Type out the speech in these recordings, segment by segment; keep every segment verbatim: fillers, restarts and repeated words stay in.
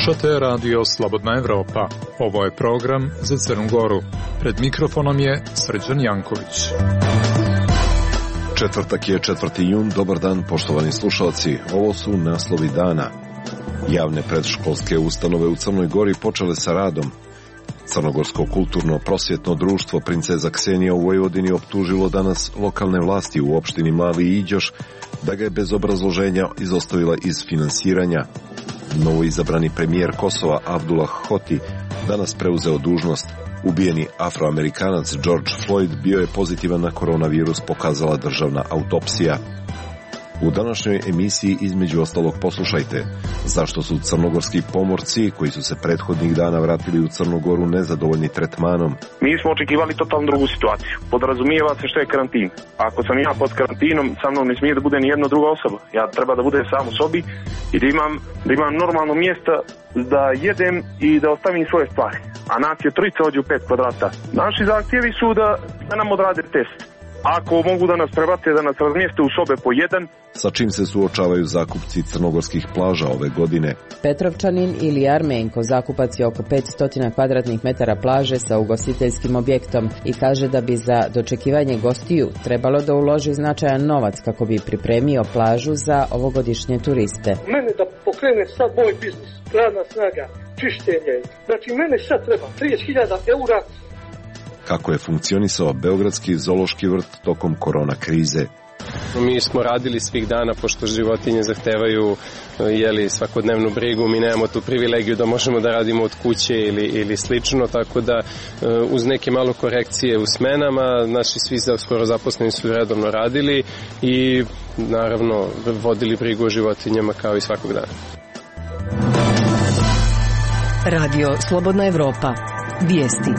Slušate radio Slobodna Evropa. Ovo je program za Crnu Goru. Pred mikrofonom je Srđan Janković. Četvrtak je četvrti jun. Dobar dan, poštovani slušalci. Ovo su naslovi dana. Javne predškolske ustanove u Crnoj Gori počele sa radom. Crnogorsko kulturno-prosvjetno društvo Princeza Ksenija u Vojvodini optužilo danas lokalne vlasti u opštini Mali Iđoš da ga je bez obrazloženja izostavila iz finansiranja. Novoizabrani premijer Kosova Abdullah Hoti danas preuzeo dužnost. Ubijeni Afroamerikanac George Floyd bio je pozitivan na koronavirus, pokazala državna autopsija. U današnjoj emisiji između ostalog poslušajte zašto su crnogorski pomorci koji su se prethodnih dana vratili u Crnu Goru nezadovoljni tretmanom. Mi smo očekivali totalno drugu situaciju. Podrazumijeva se što je karantin. Ako sam ja pod karantinom, sa mnom ne smije da bude ni jedna druga osoba. Ja treba da budem sam u sobi i da imam, da imam normalno mjesto da jedem i da ostavim svoje stvari. A nas je trojica ovdje u pet kvadrata. Naši zahtjevi su da, da nam odrade test. Ako mogu da nas prebate, da nas razmijeste u sobe po jedan. Sa čim se suočavaju zakupci crnogorskih plaža ove godine? Petrovčanin ili Armenko zakupac je oko petsto kvadratnih metara plaže sa ugostiteljskim objektom i kaže da bi za dočekivanje gostiju trebalo da uloži značajan novac kako bi pripremio plažu za ovogodišnje turiste. Mene da pokrene sad moj biznis, radna snaga, čištenje. Znači mene sad treba trideset hiljada eura. Kako je funkcionisao Beogradski zoološki vrt tokom korona krize? Mi smo radili svih dana, pošto životinje zahtevaju jeli, svakodnevnu brigu, mi nemamo tu privilegiju da možemo da radimo od kuće ili, ili slično, tako da uz neke malo korekcije u smenama, naši svi skoro zaposleni su redovno radili i naravno vodili brigu o životinjama kao i svakog dana. Radio Slobodna Evropa. Vijesti.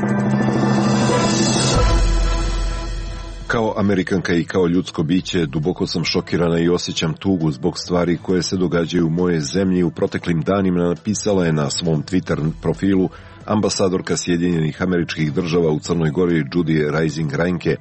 Kao Amerikanka i kao ljudsko biće duboko sam šokirana i osjećam tugu zbog stvari koje se događaju u moje zemlji. U proteklim danima napisala je na svom Twitter profilu ambasadorka Sjedinjenih Američkih Država u Crnoj Gori Judy Rising Reinke.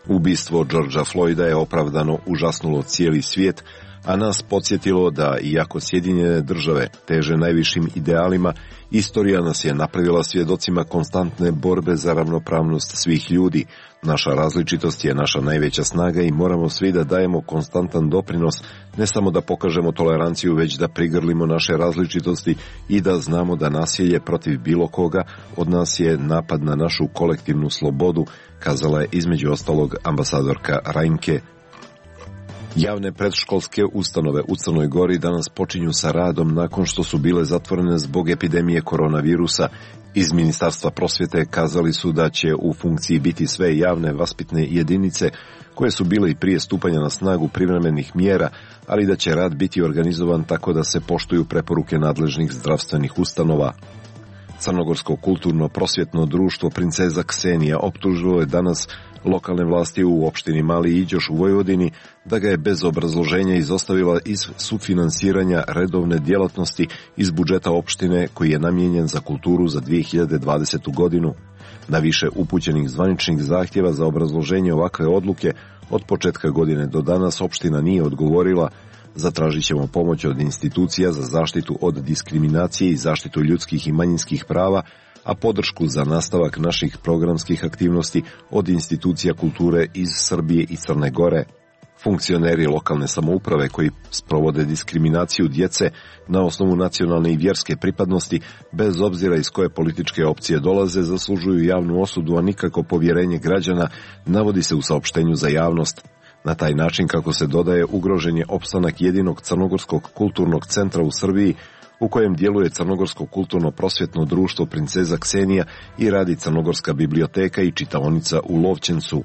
Ubistvo Georgea Floyda je opravdano užasnulo cijeli svijet, a nas podsjetilo da, iako Sjedinjene Države teže najvišim idealima, istorija nas je napravila svjedocima konstantne borbe za ravnopravnost svih ljudi. Naša različitost je naša najveća snaga i moramo svi da dajemo konstantan doprinos, ne samo da pokažemo toleranciju, već da prigrlimo naše različitosti i da znamo da nasilje protiv bilo koga od nas je napad na našu kolektivnu slobodu, kazala je između ostalog ambasadorka Reinke. Javne predškolske ustanove u Crnoj Gori danas počinju sa radom nakon što su bile zatvorene zbog epidemije koronavirusa. Iz Ministarstva prosvjete kazali su da će u funkciji biti sve javne vaspitne jedinice koje su bile i prije stupanja na snagu privremenih mjera, ali da će rad biti organizovan tako da se poštuju preporuke nadležnih zdravstvenih ustanova. Crnogorsko kulturno-prosvjetno društvo Princeza Ksenija optužilo je danas lokalne vlasti u opštini Mali Iđoš u Vojvodini da ga je bez obrazloženja izostavila iz sufinansiranja redovne djelatnosti iz budžeta opštine koji je namijenjen za kulturu za dvije hiljade dvadesetu godinu. Na više upućenih zvaničnih zahtjeva za obrazloženje ovakve odluke od početka godine do danas opština nije odgovorila. Zatražit ćemo pomoć od institucija za zaštitu od diskriminacije i zaštitu ljudskih i manjinskih prava, a podršku za nastavak naših programskih aktivnosti od institucija kulture iz Srbije i Crne Gore. Funkcioneri lokalne samouprave koji sprovode diskriminaciju djece na osnovu nacionalne i vjerske pripadnosti, bez obzira iz koje političke opcije dolaze, zaslužuju javnu osudu, a nikako povjerenje građana, navodi se u saopštenju za javnost. Na taj način, kako se dodaje, ugrožen je opstanak jedinog crnogorskog kulturnog centra u Srbiji, u kojem djeluje Crnogorsko kulturno-prosvjetno društvo Princeza Ksenija i radi Crnogorska biblioteka i čitaonica u Lovćencu.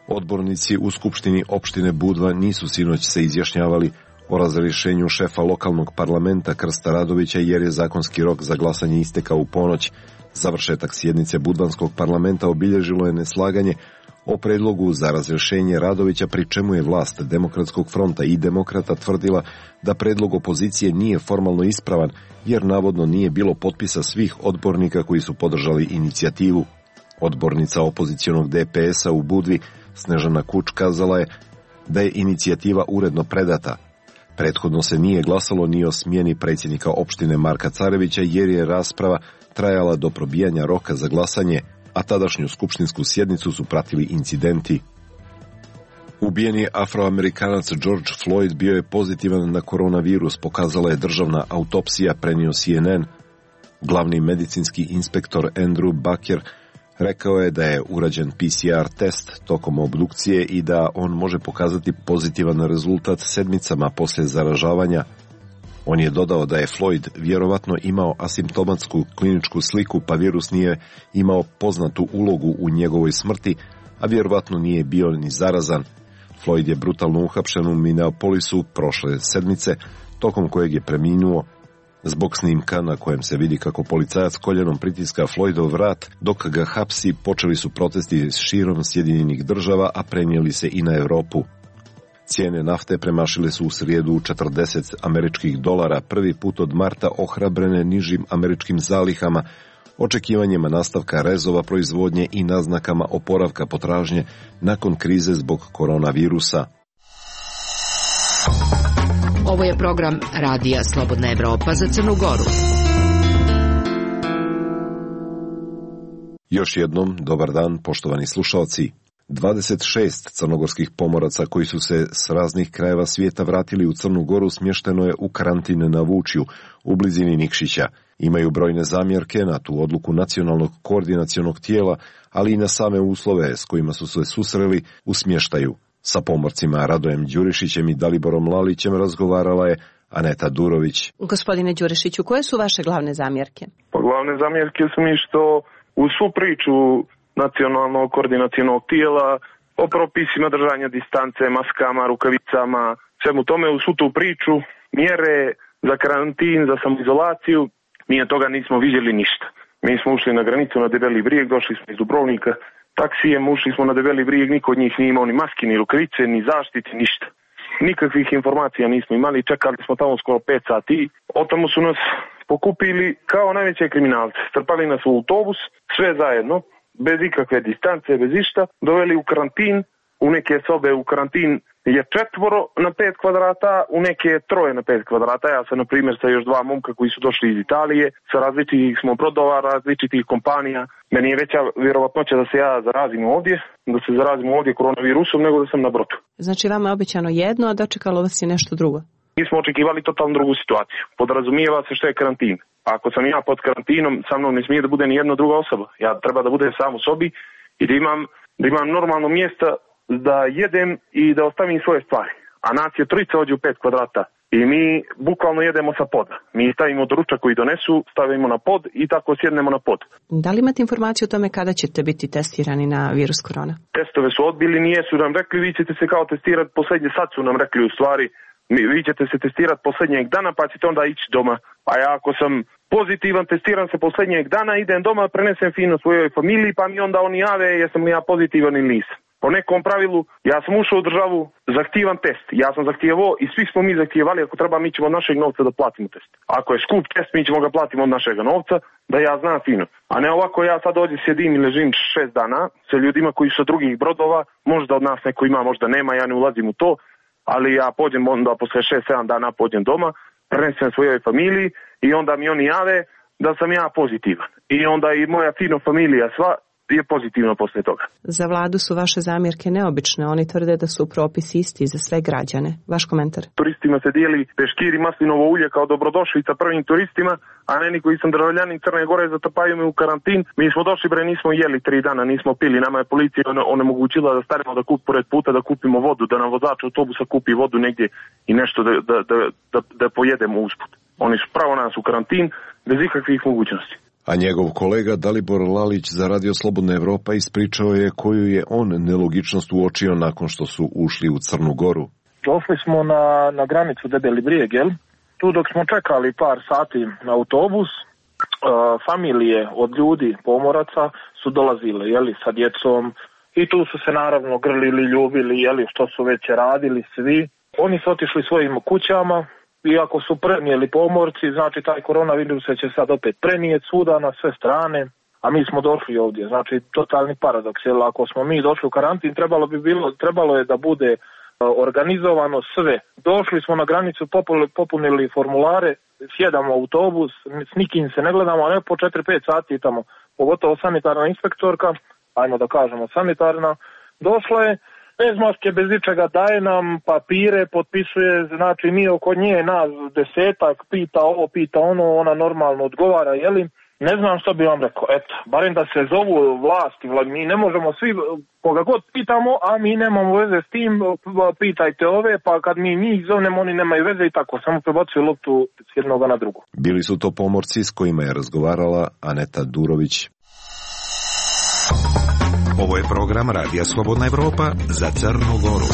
Odbornici u Skupštini opštine Budva nisu sinoć se izjašnjavali o razrješenju šefa lokalnog parlamenta Krsta Radovića jer je zakonski rok za glasanje istekao u ponoć. Završetak sjednice Budvanskog parlamenta obilježilo je neslaganje o predlogu za razrješenje Radovića, pri čemu je vlast Demokratskog fronta i Demokrata tvrdila da predlog opozicije nije formalno ispravan jer navodno nije bilo potpisa svih odbornika koji su podržali inicijativu. Odbornica opozicionog D P S-a u Budvi Snežana Kuč kazala je da je inicijativa uredno predata. Prethodno se nije glasalo ni o smjeni predsjednika opštine Marka Carevića jer je rasprava trajala do probijanja roka za glasanje, a tadašnju skupštinsku sjednicu su pratili incidenti. Ubijeni Afroamerikanac George Floyd bio je pozitivan na koronavirus, pokazala je državna autopsija, prenio C N N. Glavni medicinski inspektor Andrew Baker rekao je da je urađen P C R test tokom obdukcije i da on može pokazati pozitivan rezultat sedmicama poslije zaražavanja. On je dodao da je Floyd vjerovatno imao asimptomatsku kliničku sliku, pa virus nije imao poznatu ulogu u njegovoj smrti, a vjerovatno nije bio ni zarazan. Floyd je brutalno uhapšen u Minneapolisu prošle sedmice, tokom kojeg je preminuo. Zbog snimka na kojem se vidi kako policajac koljenom pritiska Floydov vrat dok ga hapsi, počeli su protesti širom Sjedinjenih država, a prenijeli se i na Europu. Cijene nafte premašile su u srijedu četrdeset američkih dolara, prvi put od marta ohrabrene nižim američkim zalihama, očekivanjima nastavka rezova proizvodnje i naznakama oporavka potražnje nakon krize zbog koronavirusa. Ovo je program Radija Slobodna Evropa za Crnu Goru. Još jednom, dobar dan, poštovani slušalci. dvadeset šest crnogorskih pomoraca koji su se s raznih krajeva svijeta vratili u Crnu Goru smješteno je u karantin na Vučju, u blizini Nikšića. Imaju brojne zamjerke na tu odluku nacionalnog koordinacionog tijela, ali i na same uslove s kojima su se susreli u smještaju. Sa pomorcima Radojem Đurišićem i Daliborom Lalićem razgovarala je Aneta Durović. Gospodine Đurišiću, koje su vaše glavne zamjerke? Pa glavne zamjerke su mi što u svu priču nacionalnog koordinacionog tijela o propisima držanja distance, maskama, rukavicama, svemu tome u svu tu priču, mjere za karantin, za samoizolaciju, mi od toga nismo vidjeli ništa. Mi smo ušli na granicu na Debeli brijeg, došli smo iz Dubrovnika taksijem, ušli smo na Debeli brijeg, niko od njih nije imao ni maski, ni rukavice, ni zaštite, ništa. Nikakvih informacija nismo imali, čekali smo tamo skoro pet sati. O tomu su nas pokupili kao najveće kriminalce. Strpali nas u autobus, sve zajedno, bez ikakve distance, bez išta, doveli u karantin, u neke sobe u karantin je četvoro na pet kvadrata, u neke troje na pet kvadrata. Ja sam, na primjer, sa još dva momka koji su došli iz Italije, sa različitih smo brodova, različitih kompanija. Meni je veća vjerovatnoća da se ja zarazim ovdje, da se zarazim ovdje koronavirusom, nego da sam na brodu. Znači, vama je obećano jedno, a dočekalo vas je nešto drugo? Mi smo očekivali totalno drugu situaciju. Podrazumijeva se što je karantin. Ako sam ja pod karantinom, sa mnom ne smije da bude ni jedna druga osoba. Ja treba da budem sam u sobi i da imam, da imam normalno mjesto da jedem i da ostavim svoje stvari. A nas je trojica ovdje u pet kvadrata i mi bukvalno jedemo sa poda. Mi stavimo doručak koji donesu, stavimo na pod i tako sjednemo na pod. Da li imate informaciju o tome kada ćete biti testirani na virus korona? Testove su odbili, nije su nam rekli, vi ćete se kao testirati posljednje, sad su nam rekli u stvari, vi ćete se testirati posljednjeg dana pa ćete onda ići doma. A ja ako sam pozitivan, testiram se posljednjeg dana, idem doma, prenesem fino svojoj familiji pa mi onda oni jave jesam li ja pozitivan ili nisam. Po nekom pravilu, ja sam ušao u državu, zahtijevam test. Ja sam zahtijevao i svi smo mi zahtijevali, ako treba mi ćemo od našeg novca da platimo test. Ako je skup test, mi ćemo ga platiti od našega novca, da ja znam fino. A ne ovako ja sad ovdje sjedim i ležim šest dana sa ljudima koji su sa drugih brodova, možda od nas neko ima, možda nema, ja ne ulazim u to, ali ja pođem onda posle šest sedam dana pođem doma, prenesem svojoj familiji i onda mi oni jave da sam ja pozitivan. I onda i moja fino familija sva je pozitivno poslije toga. Za vladu su vaše zamjerke neobične. Oni tvrde da su propisi isti za sve građane. Vaš komentar? Turistima se dijeli peškir i maslinovo ulje kao dobrodošlica prvim turistima, a meni koji sam državljanin Crne Gore zatapaju me u karantin. Mi smo došli bre, nismo jeli tri dana, nismo pili. Nama je policija onemogućila da stanemo da kup pored puta, da kupimo vodu, da nam vozač autobusa kupi vodu negdje i nešto da, da, da, da, da pojedemo usput. Oni su pravo nas u karantin bez ikakvih mogućnosti. A njegov kolega Dalibor Lalić za Radio Slobodna Evropa ispričao je koju je on nelogičnost uočio nakon što su ušli u Crnu Goru. Došli smo na, na granicu Debeli brijeg, jel? Tu dok smo čekali par sati na autobus, uh, familije od ljudi, pomoraca, su dolazile, jeli, sa djecom. I tu su se naravno grlili, ljubili, jeli, što su već radili svi. Oni su otišli svojim kućama. Iako su prenijeli pomorci, znači taj koronavirus će sad opet prenijeti svuda na sve strane, a mi smo došli ovdje. Znači totalni paradoks, jer ako smo mi došli u karantin, trebalo bi bilo, trebalo je da bude organizovano sve. Došli smo na granicu, popunili formulare, sjedamo u autobus, s nikim se ne gledamo, a ne po četiri pet sati tamo, pogotovo sanitarna inspektorka, ajmo da kažemo sanitarna, došla je, bez maske, bez ičega, daje nam papire, potpisuje, znači mi oko nje nas desetak, pita ovo, pita ono, ona normalno odgovara, jeli? Ne znam što bi vam rekao, eto, barem da se zovu vlasti, mi ne možemo svi, koga god pitamo, a mi nemamo veze s tim, pitajte ove, pa kad mi njih zovnemo, oni nemaju veze i tako, samo prebacuju loptu s jednoga na drugo. Bili su to pomorci s kojima je razgovarala Aneta Durović. Ovo je program Radija Slobodna Evropa za Crnu Goru.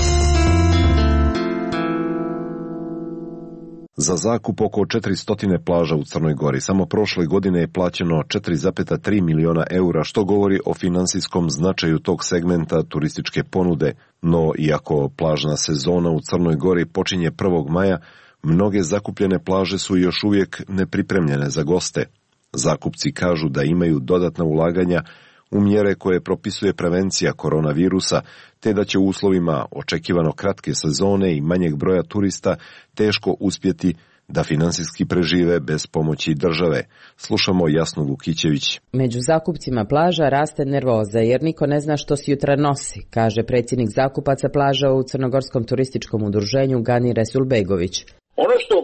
Za zakup oko četiristo plaža u Crnoj Gori samo prošle godine je plaćeno četiri zarez tri miliona eura, što govori o finansijskom značaju tog segmenta turističke ponude. No, iako plažna sezona u Crnoj Gori počinje prvog maja, mnoge zakupljene plaže su još uvijek nepripremljene za goste. Zakupci kažu da imaju dodatna ulaganja u mjere koje propisuje prevencija koronavirusa, te da će u uslovima očekivano kratke sezone i manjeg broja turista teško uspjeti da finansijski prežive bez pomoći države. Slušamo Jasnu Vukićević. Među zakupcima plaža raste nervoza jer niko ne zna što jutra nosi, kaže predsjednik zakupaca plaža u Crnogorskom turističkom udruženju Gani Resulbegović. Ono što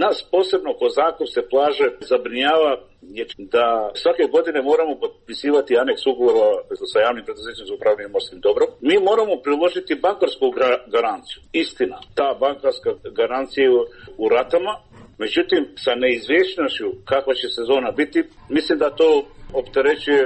nas posebno ko zakupce plaže zabrinjava je da svake godine moramo potpisivati aneks ugovora sa javnim preduzećem za upravljanje morskim dobrom. Mi moramo priložiti bankarsku garanciju. Istina, ta bankarska garancija je u ratama, međutim sa neizvjesnošću kakva će sezona biti, mislim da to opterećuje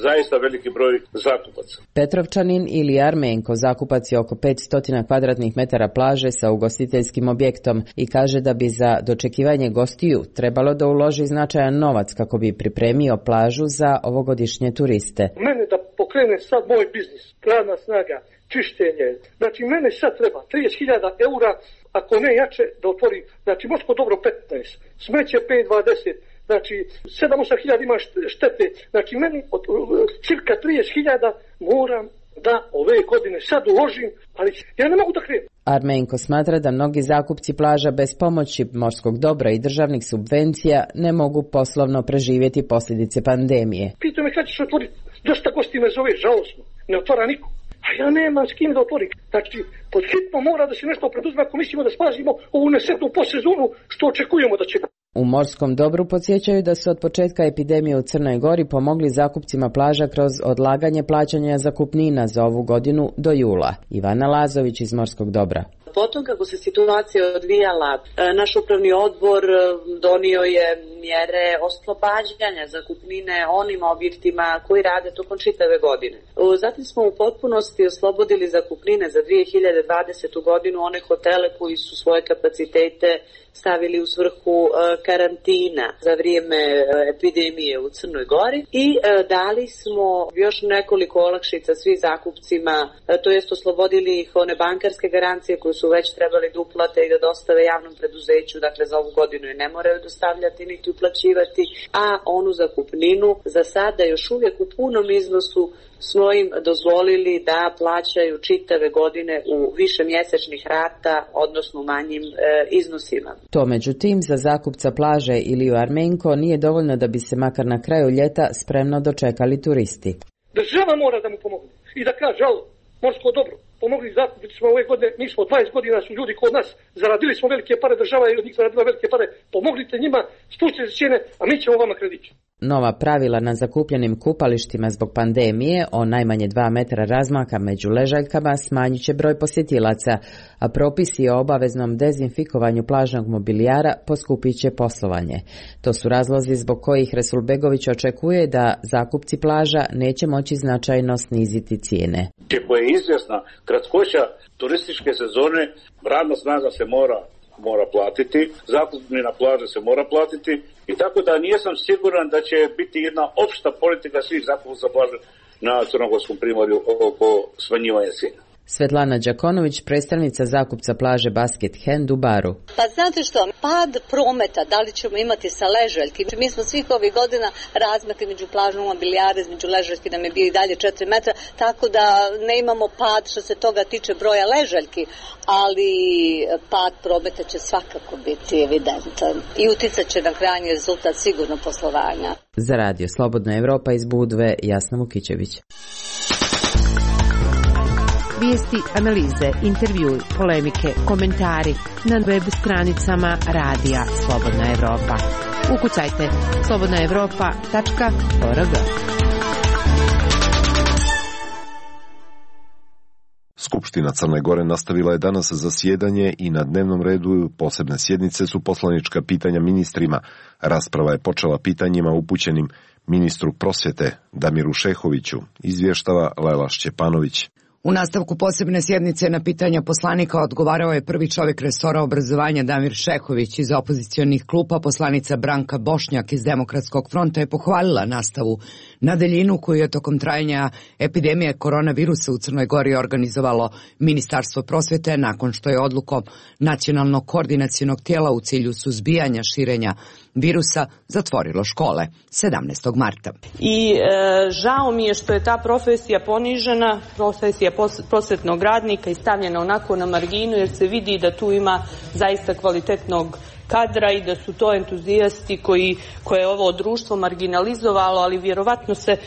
zaista veliki broj zakupaca. Petrovčanin ili Armenko zakupac je oko petsto kvadratnih metara plaže sa ugostiteljskim objektom i kaže da bi za dočekivanje gostiju trebalo da uloži značajan novac kako bi pripremio plažu za ovogodišnje turiste. Mene da pokrene sad moj biznis, radna snaga, čištenje, znači mene sad treba trideset hiljada eura, ako ne jače da otvori, znači morsko dobro petnaest, smeće pet dvadeset, znači sedam osam hiljada ima štete, znači meni od cirka trideset hiljada moram da ove godine sad uložim, ali ja ne mogu da krenem. Armenko smatra da mnogi zakupci plaža bez pomoći morskog dobra i državnih subvencija ne mogu poslovno preživjeti posljedice pandemije. Pitaju me kad će se otvoriti, dosta gosti me zove, žalosno, ne otvara niko. A ja nemam s kim da otvorim. Znači, pod hitno mora da se nešto preduzme ako mislimo da spasimo ovu nesretnu posezonu što očekujemo da će. U morskom dobru podsjećaju da su od početka epidemije u Crnoj Gori pomogli zakupcima plaža kroz odlaganje plaćanja zakupnina za ovu godinu do jula. Ivana Lazović iz Morskog dobra. Potom kako se situacija odvijala, naš upravni odbor donio je mjere oslobađanja zakupnine onim objektima koji rade tokom čitave godine. Zatim smo u potpunosti oslobodili zakupnine za dvije hiljade dvadesetu godinu one hotele koji su svoje kapacitete stavili u svrhu karantina za vrijeme epidemije u Crnoj Gori i dali smo još nekoliko olakšica svim zakupcima, to jest oslobodili ih one bankarske garancije koje su već trebali da uplate i da dostave javnom preduzeću, dakle za ovu godinu je ne moraju dostavljati niti uplaćivati, a onu zakupninu za sada još uvijek u punom iznosu smo im dozvolili da plaćaju čitave godine u više mjesečnih rata, odnosno u manjim e, iznosima. To međutim za zakupca plaže ili u Armenko nije dovoljno da bi se makar na kraju ljeta spremno dočekali turisti. Država mora da mu pomogne i da kaže, alo, morsko dobro, pomogli zakupiti smo ove godine, mi smo dvadeset godina su ljudi kod nas, zaradili smo velike pare, država je od njih zaradila velike pare, pomoglite njima, spustite cijene, a mi ćemo vama kredit. Nova pravila na zakupljenim kupalištima zbog pandemije o najmanje dva metra razmaka među ležaljkama smanjit će broj posjetilaca, a propisi o obaveznom dezinfikovanju plažnog mobilijara poskupit će poslovanje. To su razlozi zbog kojih Resulbegović očekuje da zakupci plaža neće moći značajno sniziti cijene. Ako je izvjesna kratkoća turističke sezone, radna snaga se mora mora platiti, zakupnina plaže se mora platiti i tako da nisam siguran da će biti jedna opšta politika svih zakupaca plaže na Crnogorskom primorju oko smanjivanja cijena. Svetlana Đakonović, predstavnica zakupca plaže Basket Hand u Baru. Pa znate što, pad prometa, da li ćemo imati sa ležaljki? Mi smo svih ovih godina razmakli među plažom mobilijare, između ležaljki nam je bio i dalje četiri metra, tako da ne imamo pad što se toga tiče broja ležaljki, ali pad prometa će svakako biti evidentan i uticat će na krajnji rezultat sigurno poslovanja. Za radio Slobodna Evropa iz Budve, Jasna Vukićević. Vijesti, analize, intervjui, polemike, komentari na web stranicama Radija Slobodna Evropa. Ukucajte slobodna evropa tačka org. Skupština Crne Gore nastavila je danas zasjedanje i na dnevnom redu posebne sjednice su poslanička pitanja ministrima. Rasprava je počela pitanjima upućenim ministru prosvjete Damiru Šehoviću, izvještava Lela Šćepanović. U nastavku posebne sjednice na pitanja poslanika odgovarao je prvi čovjek resora obrazovanja Damir Šehović. Iz opozicionih klupa poslanica Branka Bošnjak iz Demokratskog fronta je pohvalila nastavu na daljinu koju je tokom trajanja epidemije koronavirusa u Crnoj Gori organizovalo Ministarstvo prosvjete nakon što je odlukom Nacionalnog koordinacionog tijela u cilju suzbijanja širenja virusa zatvorilo škole sedamnaestog marta. I e, žao mi je što je ta profesija ponižena, profesija prosvjetnog radnika i stavljena onako na marginu, jer se vidi da tu ima zaista kvalitetnog kadra i da su to entuzijasti koji, koje je ovo društvo marginalizovalo, ali vjerovatno se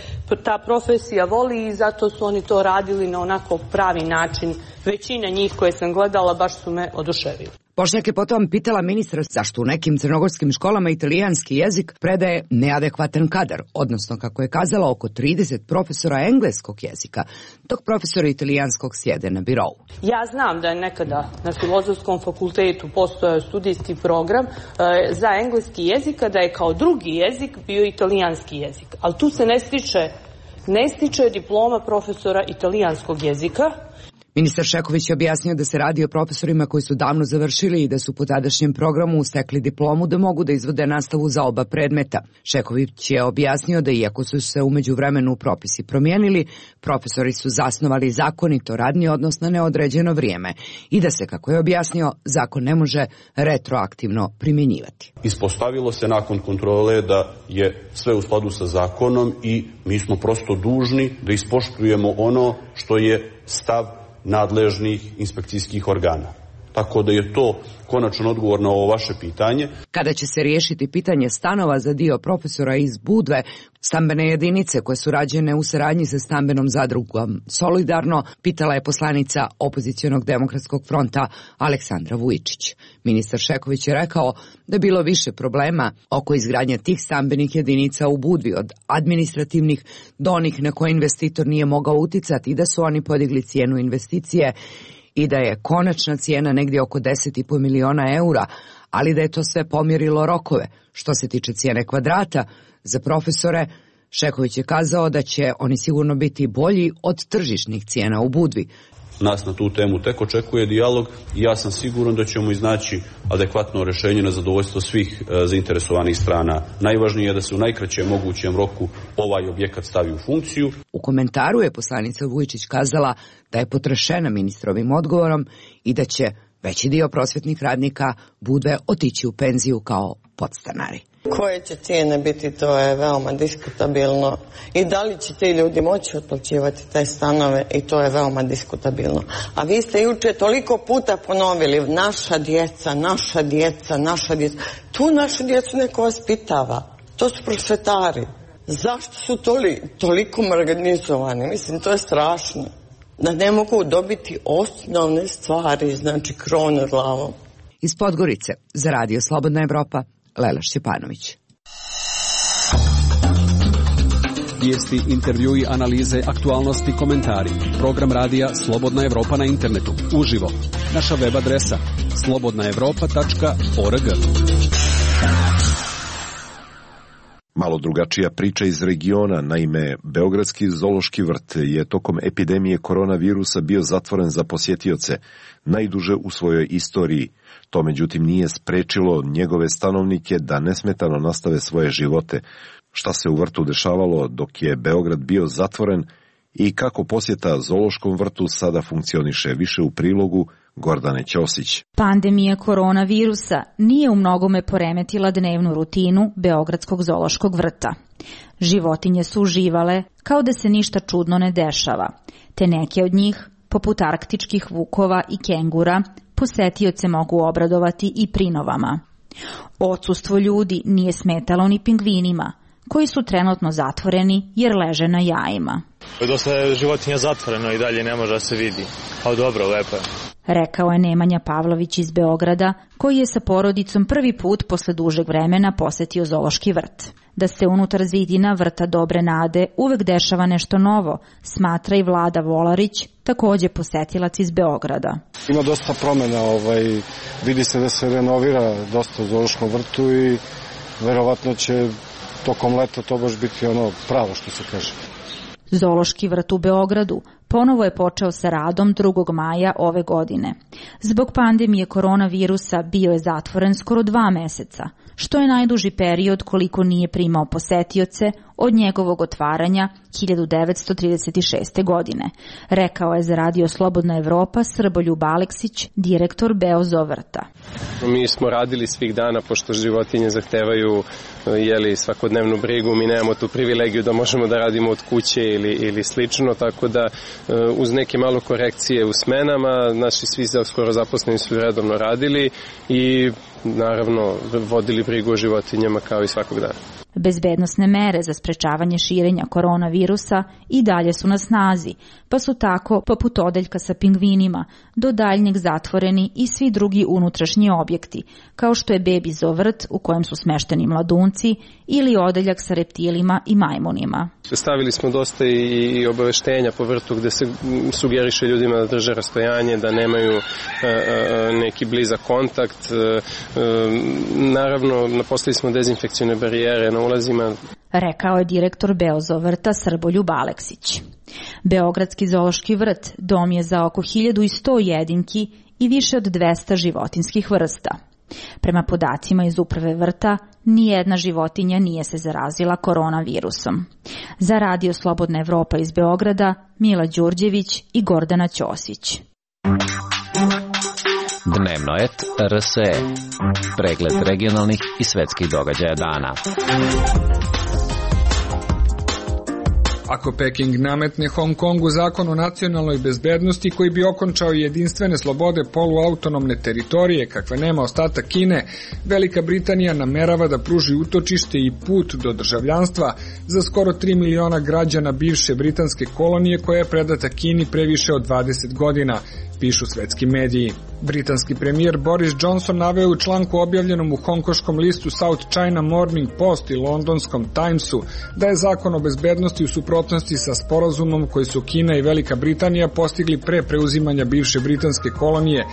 ta profesija voli i zato su oni to radili na onako pravi način. Većina njih koje sam gledala baš su me oduševili. Bošnjak je potom pitala ministra zašto u nekim crnogorskim školama italijanski jezik predaje neadekvatan kadar, odnosno kako je kazala oko trideset profesora engleskog jezika, dok profesori italijanskog sjede na birovu. Ja znam da je nekada na Filozofskom fakultetu postojao studijski program e, za engleski jezik, da je kao drugi jezik bio italijanski jezik, ali tu se ne stiče, ne stiče diploma profesora italijanskog jezika. Ministar Šehović je objasnio da se radi o profesorima koji su davno završili i da su po tadašnjem programu stekli diplomu da mogu da izvode nastavu za oba predmeta. Šehović je objasnio da iako su se u međuvremenu propisi promijenili, profesori su zasnovali zakonito radni odnos na neodređeno vrijeme i da se, kako je objasnio, zakon ne može retroaktivno primjenjivati. Ispostavilo se nakon kontrole da je sve u skladu sa zakonom i mi smo prosto dužni da ispoštujemo ono što je stav nadležnih inspekcijskih organa. Tako da je to konačan odgovor na ovo vaše pitanje. Kada će se riješiti pitanje stanova za dio profesora iz Budve, stambene jedinice koje su rađene u saradnji sa stambenom zadrugom Solidarno, pitala je poslanica opozicionog demokratskog fronta Aleksandra Vujičić. Ministar Šehović je rekao da je bilo više problema oko izgradnje tih stambenih jedinica u Budvi, od administrativnih do onih na koje investitor nije mogao uticati i da su oni podigli cijenu investicije i da je konačna cijena negdje oko deset i po miliona eura, ali da je to sve pomjerilo rokove. Što se tiče cijene kvadrata za profesore, Šehović je kazao da će oni sigurno biti bolji od tržišnih cijena u Budvi. Nas na tu temu tek očekuje dijalog i ja sam siguran da ćemo iznaći adekvatno rješenje na zadovoljstvo svih e, zainteresovanih strana. Najvažnije je da se u najkraćem mogućem roku ovaj objekat stavi u funkciju. U komentaru je poslanica Vujičić kazala da je potrešena ministrovim odgovorom i da će veći dio prosvjetnih radnika Budve otići u penziju kao podstanari. Koje će cijene biti, to je veoma diskutabilno. I da li će ti ljudi moći otplaćivati te stanove, i to je veoma diskutabilno. A vi ste juče toliko puta ponovili naša djeca, naša djeca, naša djeca. Tu našu djecu neko vaspitava. To su prosvetari. Zašto su toli, toliko marginalizovani? Mislim, to je strašno. Da ne mogu dobiti osnovne stvari, znači krov nad glavom. Iz Podgorice, za Radio Slobodna Evropa, Lela Šćepanović. Vijesti, intervjui, analize, aktualnosti, komentari. Program radija Slobodna Evropa na internetu. Uživo. Naša web adresa slobodna evropa tačka org. Malo drugačija priča iz regiona. Naime, Beogradski zoološki vrt je tokom epidemije koronavirusa bio zatvoren za posjetioce, najduže u svojoj istoriji. To međutim nije sprečilo njegove stanovnike da nesmetano nastave svoje živote. Šta se u vrtu dešavalo dok je Beograd bio zatvoren i kako posjeta zoološkom vrtu sada funkcioniše, više u prilogu Gordane Ćosić. Pandemija koronavirusa nije u mnogome poremetila dnevnu rutinu Beogradskog zoološkog vrta. Životinje su uživale kao da se ništa čudno ne dešava, te neke od njih, poput arktičkih vukova i kengura, posetioce mogu obradovati i prinovama. Odsustvo ljudi nije smetalo ni pingvinima, koji su trenutno zatvoreni jer leže na jajima. Dosta je životinja zatvoreno i dalje ne može da se vidi, ali dobro, lepo je. Rekao je Nemanja Pavlović iz Beograda, koji je sa porodicom prvi put posle dužeg vremena posetio zoološki vrt. Da se unutar zidina vrta Dobre Nade uvek dešava nešto novo, smatra i Vlada Volarić, takođe posetilac iz Beograda. Ima dosta promjena, ovaj, vidi se da se renovira dosta u zoološkom vrtu i verovatno će tokom leta to baš biti ono pravo što se kaže. Zoološki vrt u Beogradu ponovo je počeo sa radom drugog maja ove godine. Zbog pandemije koronavirusa bio je zatvoren skoro dva meseca, što je najduži period koliko nije primao posetioce od njegovog otvaranja hiljadu devetsto trideset šeste. godine, rekao je za Radio Slobodna Evropa Srboljub Aleksić, direktor Beozovrta. Mi smo radili svih dana, pošto životinje zahtevaju jeli, svakodnevnu brigu, mi nemamo tu privilegiju da možemo da radimo od kuće ili, ili slično, tako da uz neke malo korekcije u smenama, naši svi skoro zaposleni su redovno radili i naravno vodili brigu o životinjama kao i svakog dana. Bezbednosne mere za sprečavanje širenja koronavirusa i dalje su na snazi, pa su tako, poput odeljka sa pingvinima, do daljnjeg zatvoreni i svi drugi unutrašnji objekti, kao što je Bebi Zoo vrt u kojem su smešteni mladunci ili odeljak sa reptilima i majmunima. Stavili smo dosta i obaveštenja po vrtu gde se sugeriše ljudima da drže rastojanje, da nemaju neki blizak kontakt. Naravno, naposlili smo dezinfekcione barijere na ulazima. Rekao je direktor Beozovrta Srboljub Aleksić. Beogradski zoološki vrt dom je za oko hiljadu sto jedinki i više od dvesta životinskih vrsta. Prema podacima iz uprave vrta, nijedna životinja nije se zarazila koronavirusom. Za Radio Slobodna Evropa iz Beograda, Mila Đurđević i Gordana Ćosić. Dnevno et R S E. Pregled regionalnih i svetskih događaja dana. Ako Peking nametne Hong Kongu zakon o nacionalnoj bezbednosti koji bi okončao jedinstvene slobode poluautonomne teritorije kakve nema ostatak Kine, Velika Britanija namerava da pruži utočište i put do državljanstva za skoro tri miliona građana bivše britanske kolonije koja je predata Kini pre više od dvadeset godina, pišu svetski mediji. Britanski premijer Boris Johnson naveo u članku objavljenom u hongkoškom listu South China Morning Post i londonskom Timesu da je zakon o bezbednosti u suprotnosti sa sporazumom koji su Kina i Velika Britanija postigli pre preuzimanja bivše britanske kolonije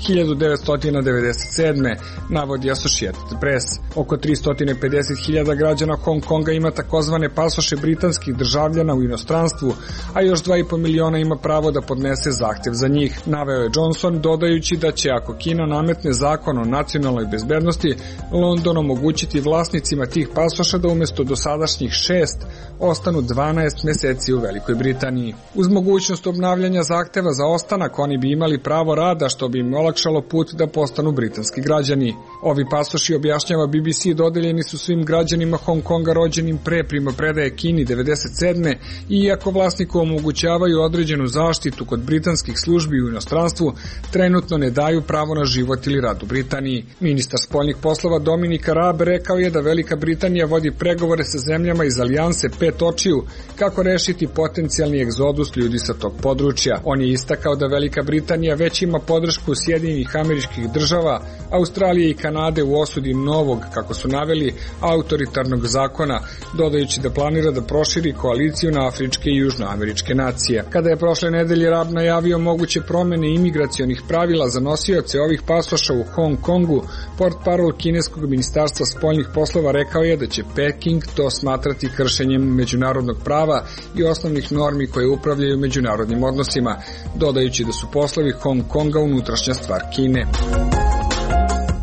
hiljadu devetsto devedeset sedme. navodi Associated Press. Oko tristo pedeset hiljada građana Hong Konga ima takozvane pasoše britanskih državljana u inostranstvu, a još dva i po miliona ima pravo da podnese zahtev za njih, naveo je Johnson, dodajući da će ako Kina nametne zakon o nacionalnoj bezbednosti, London omogućiti vlasnicima tih pasoša da umesto dosadašnjih šest ostanu dvanaest meseci u Velikoj Britaniji. Uz mogućnost obnavljanja zahteva za ostanak, oni bi imali pravo rada što bi im olakšalo put da postanu britanski građani. Ovi pasoši, objašnjava B B C, dodeljeni su svim građanima Hong Konga rođenim pre primopredaje Kini devedeset sedme i iako vlasniku omogućavaju određenu zaštitu kod britanskih službi u inostranstvu, trenutno ne daju pravo na život ili rad u Britaniji. Ministar spoljnih poslova Dominik Raab rekao je da Velika Britanija vodi pregovore sa zemljama iz alijanse Pet očiju kako rešiti potencijalni egzodus ljudi sa tog područja. On je istakao da Velika Britanija već ima podršku Sjedinjenih Američkih Država, Australije i Kanade u osudi novog, kako su naveli, autoritarnog zakona, dodajući da planira da proširi koaliciju na afričke i južnoameričke nacije. Kada je prošle nedelje Raab najavio moguće promene imigracionih pravila za nosioce ovih pasoša u Hong Kongu, portparol kineskog ministarstva spoljnih poslova rekao je da će Peking to smatrati kršenjem međunarodnog prava i osnovnih normi koje upravljaju međunarodnim odnosima, dodajući da su poslovi Hong Konga unutrašnja stvar Kine.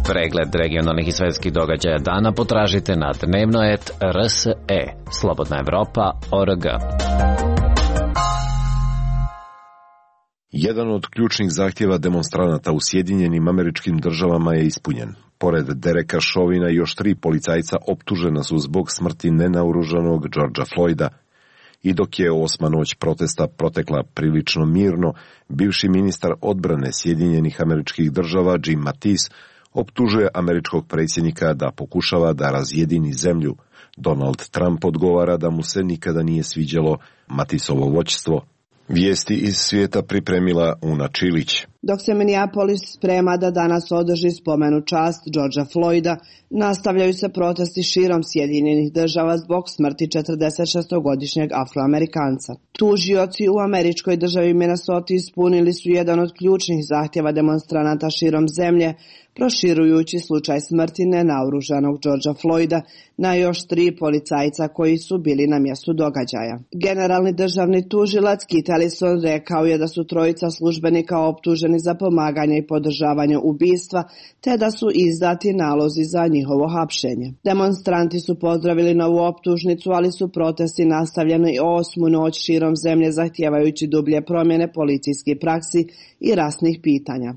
Pregled regionalnih i svetskih događaja dana potražite na dnevno et R S E. Slobodna Evropa, O R G. Jedan od ključnih zahtjeva demonstranata u Sjedinjenim Američkim Državama je ispunjen. Pored Dereka Chauvina još tri policajca optužena su zbog smrti nenaoružanog Georgea Floyda. I dok je osma noć protesta protekla prilično mirno, bivši ministar odbrane Sjedinjenih Američkih Država Jim Mattis optužuje američkog predsjednika da pokušava da razjedini zemlju. Donald Trump odgovara da mu se nikada nije sviđalo Mattisovo vođstvo. Vijesti iz svijeta pripremila Una Čilić. Dok se Minneapolis sprema da danas održi spomenu čast Georgea Floyda, nastavljaju se protesti širom Sjedinjenih Država zbog smrti četrdesetšestogodišnjeg Afroamerikanca. Tužioci u američkoj državi Minnesota ispunili su jedan od ključnih zahtjeva demonstranata širom zemlje, proširujući slučaj smrti nenaoružanog Georgea Floyda na još tri policajca koji su bili na mjestu događaja. Generalni državni tužilac Kit Ellison rekao je da su trojica službenika optuženi za pomaganje i podržavanje ubistva, te da su izdati nalozi za njihovo hapšenje. Demonstranti su pozdravili novu optužnicu, ali su protesti nastavljeni osmu noć širom zemlje zahtijevajući dublje promjene policijskih praksi i rasnih pitanja.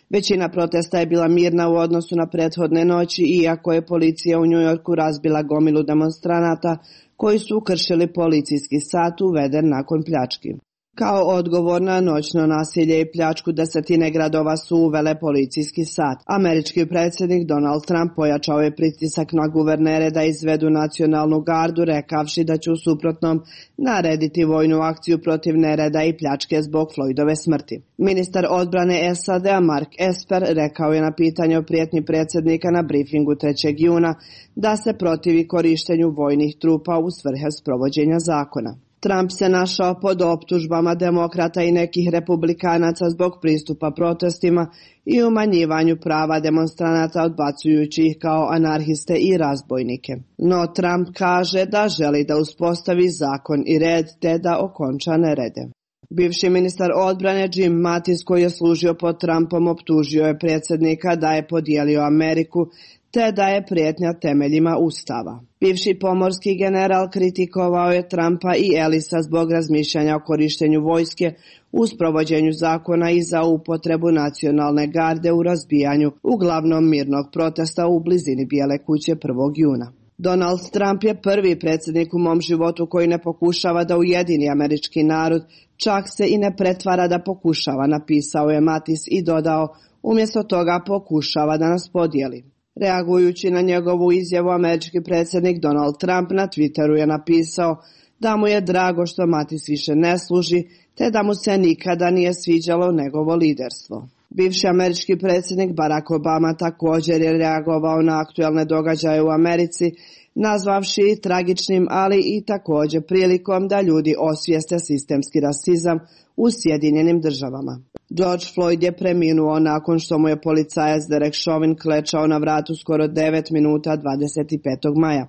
Većina protesta je bila mirna u odnosu na prethodne noći, iako je policija u Njujorku razbila gomilu demonstranata koji su kršili policijski sat uveden nakon pljački. Kao odgovor na noćno nasilje i pljačku desetine gradova su uvele policijski sat. Američki predsjednik Donald Trump pojačao je pritisak na guvernere da izvedu nacionalnu gardu, rekavši da će u suprotnom narediti vojnu akciju protiv nereda i pljačke zbog Floydove smrti. Ministar odbrane S A D-a Mark Esper rekao je na pitanje o prijetnji predsjednika na briefingu trećeg juna da se protivi korištenju vojnih trupa u svrhe sprovođenja zakona. Trump se našao pod optužbama demokrata i nekih republikanaca zbog pristupa protestima i umanjivanju prava demonstranata, odbacujući ih kao anarhiste i razbojnike. No Trump kaže da želi da uspostavi zakon i red te da okonča nerede. Bivši ministar odbrane Jim Mattis, koji je služio pod Trumpom, optužio je predsjednika da je podijelio Ameriku te da je prijetnja temeljima Ustava. Bivši pomorski general kritikovao je Trumpa i Ellisa zbog razmišljanja o korištenju vojske u sprovođenju zakona i za upotrebu nacionalne garde u razbijanju uglavnom mirnog protesta u blizini Bijele kuće prvog juna. Donald Trump je prvi predsjednik u mom životu koji ne pokušava da ujedini američki narod, čak se i ne pretvara da pokušava, napisao je Mattis i dodao, umjesto toga pokušava da nas podijeli. Reagujući na njegovu izjavu, američki predsjednik Donald Trump na Twitteru je napisao da mu je drago što Mattis više ne služi, te da mu se nikada nije sviđalo njegovo liderstvo. Bivši američki predsjednik Barack Obama također je reagovao na aktualne događaje u Americi, nazvavši tragičnim, ali i također prilikom da ljudi osvijeste sistemski rasizam u Sjedinjenim Državama. George Floyd je preminuo nakon što mu je policajac Derek Chauvin klečao na vratu skoro devet minuta dvadeset petog maja.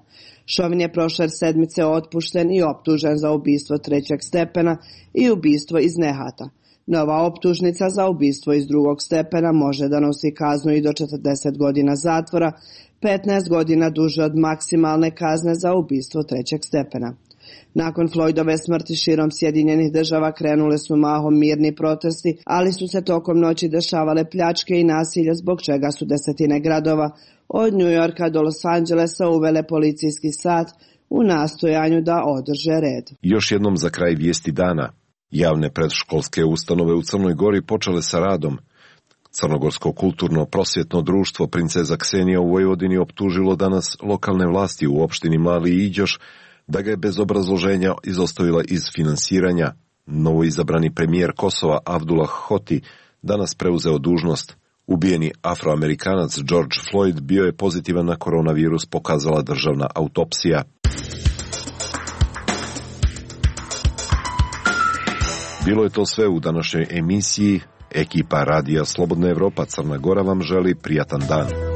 Chauvin je prošle sedmice otpušten i optužen za ubistvo trećeg stepena i ubistvo iz nehata. Nova optužnica za ubistvo iz drugog stepena može da nosi kaznu i do četrdeset godina zatvora, petnaest godina duže od maksimalne kazne za ubistvo trećeg stepena. Nakon Floydove smrti širom Sjedinjenih Država krenule su mahom mirni protesti, ali su se tokom noći dešavale pljačke i nasilje, zbog čega su desetine gradova od New Yorka do Los Angelesa uvele policijski sat u nastojanju da održe red. Još jednom za kraj vijesti dana. Javne predškolske ustanove u Crnoj Gori počele sa radom. Crnogorsko kulturno prosvjetno društvo Princeza Ksenija u Vojvodini optužilo danas lokalne vlasti u opštini Mali Iđoš da ga je bez obrazloženja izostavila iz finansiranja. Novoizabrani premijer Kosova Abdullah Hoti danas preuzeo dužnost. Ubijeni Afroamerikanac George Floyd bio je pozitivan na koronavirus, pokazala državna autopsija. Bilo je to sve u današnjoj emisiji. Ekipa Radija Slobodna Evropa Crna Gora vam želi prijatan dan.